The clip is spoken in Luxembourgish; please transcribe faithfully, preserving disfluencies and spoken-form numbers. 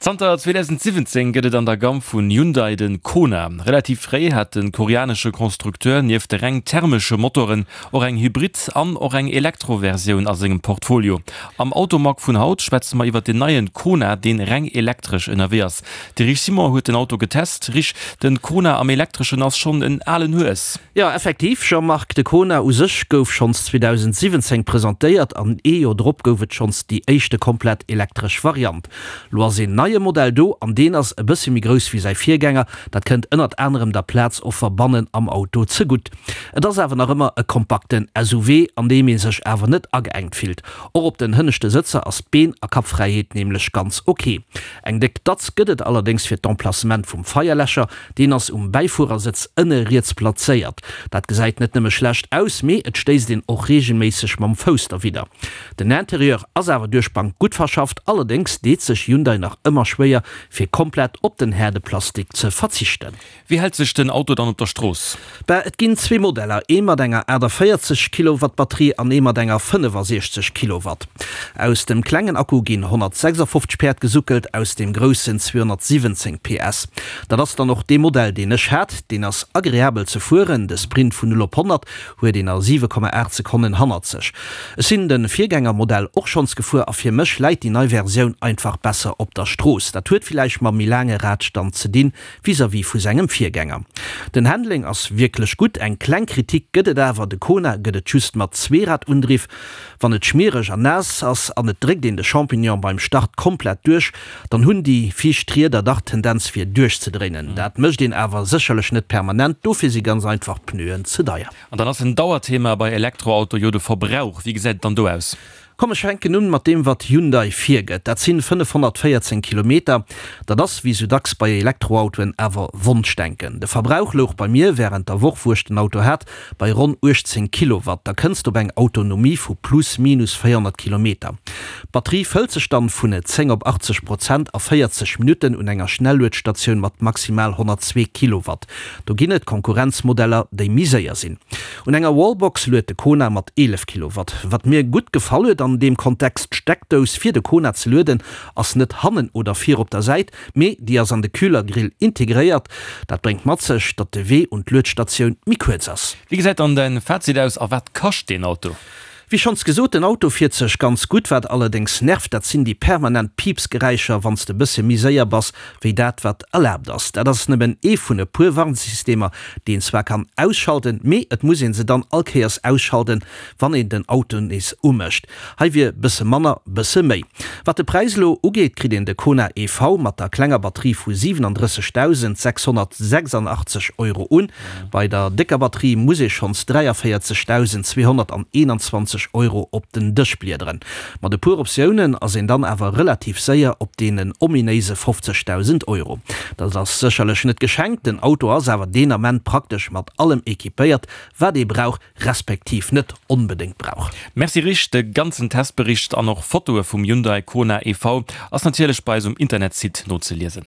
Zanter zweedausendsiwwenzéng gëtt et an der Gamm vun Hyundai de Kona. Relativ fréi hat de koreanesche Constructeur nieft de reng thermesche Motoren och eng Hybrid an och eng Elektroversioun a sengem Portfolio. Am Automag vun haut schwätze mer iwwer den neien Kona, deen reng elektresch ënnerwee ass. De Rich Simon huet den Auto getest. Rich, den Kona am Elektreschen ass schonn en alen Hues. Jo, effektiv Jean-Marc, de Kona u sech gouf schonns zweedausendsiwwenzéng presentéiert an ee Joer drop gouf et schonns déi éischte komplett elektresch Variant. Lo ass een neie Modell do an deen ass e bësse méi grouss wéi säi Virgänger. Dat kënnt ënnert anerem der Plazoffer bannen am Auto zegutt. Et ass awer nach ëmmer e kompakten S U V, an deem ee sech awer net ageengt fillt. Och op den hënneschte Sëtzer ass d'Been a Kappfräiheet nämlech ganz ok. Eng déck Datz gëtt et allerdéngs fir d'Emplacement vum Feierläscher, deen ass um Bäifuerersëtz ënne riets plazéiert. Dat gesäit net nëmme schlecht aus, mee et stéisst een och reegelméisseg mam Fouss derwidder. Den Interieur ass awer duerch d'Bank gutt verschafft, allerdéngs deet sech Hyundai nach ëmmer schwéier, fir komplett op den haarde Plastik ze verzichten. Wéi hält sech den Auto dann op der Strooss? Bah, et ginn zwee Modeller, ee mat enger aachtavéierzeg Kilowatt Batterie an ee mat enger fënnefasiechzeg Kilowatt. Aus dem klengen Akku ginn honnertsechsafofzeg Päerd gesuckelt, aus deem groussen zweehonnertsiwwenzéng P S. Dat ass dann och dee Modell, deen ech hat. Deen ass agreabel ze fueren, de Sprint vun null op honnert huet een a siwe Komma aacht Sekonnen hannert sech. Ech sinn de Virgängermodell och schonns gefuer a fir mech läit déi nei Versioun einfach besser op der Strooss. Dat huet villäicht mam méi laange Radstand ze dinn vis-à-vis vu sengem Virgänger. Den Handling ass wierklech gutt, eng kleng Kritik gëtt et awer, de Kona gëtt et just mat Zweeradundriff. Wann et schmiereg an naass ass an et dréckt een de Champignon beim Start komplett duerch, dann hunn déi viischt Rieder dach d'Tendenz fir duerchzedréinen. Dat mécht een awer sécherlech net permanent, dofir si ganz einfach d'Pneuen ze deier. An dann ass en Dauerthema bei Elektroauto jo de Verbrauch. Wéi gesäit et dann do aus? Komm ech fänken un mat deem wat Hyundai virgëtt, dat sinn fënnefhonnertvéierzéng Kilometer. Dat ass wéi sou dacks bei Elektroautoen awer Wonschdenken. De Verbrauch louch bei mir wärend der Woch wou ech den Auto hat bei ronn uechtzéng Kilowatt. Da kënns de op eng Autonomie vu plus minus véierhonnert Kilometer. D'Batterie fëllt sech dann vun zéng op achtzeg Prozent a véierzeg Minutten un enger Schnelluedstatioun mat maximal honnertzwee Kilowatt. Do ginn et Konkurrenzmodeller déi méi séier sinn. Un enger Wallbox luet de Kona mat eelef Kilowatt. Wat mir gutt gefall huet an deem Kontext, D'Steckdous fir de Kona ze lueden ass net hannen oder vir op der Säit, mee déi ass an de Kühlergrill integréiert. Dat bréngt mat sech, datt de Wee un d'Luedstatioun méi kuerz ass. Wéi gesäit dann däin Fazit aus a wat kascht deen Auto? Wéi schonns gesot, den Auto fiert sech ganz gutt. Wat allerdéngs nervt, dat sinn déi permanent Piipsgeräischer, wann s de bësse méi séier bass, wéi dat wat erlaabt ass. Dat ass nëmmen ee vun e puer Warnsystemer, déi een zwar kann ausschalten, mee et muss een se dann all Kéiers ausschalten, wann een den Auto nees umécht. Hei wier bësse manner bësse méi. Wat de Präis elo ugeet, kritt een de Kona E V mat der klenger Batterie vu siwenendrëssegdausend sechshonnertsechsandachtzeg Euro un. Bei der décker Batterie muss ee schonns dräiavéierzegdausend zweehonnerteenanzwanzeg Euro op den Dësch bliederen. Mat e puer Optiounen ass een dann awer relativ séier op deenen ominéise fofzegdausend Euro. Dat ass sécherlech net geschenkt, den Auto ass awer deen Ament praktesch mat allem equipéiert, wat ee brauch, respektiv net onbedéngt brauch. Merci Rich, de ganzen Testbericht an och Fotoe vum Hyundai Kona E V ass natierlech bei eis um Internetsite nozeliesen.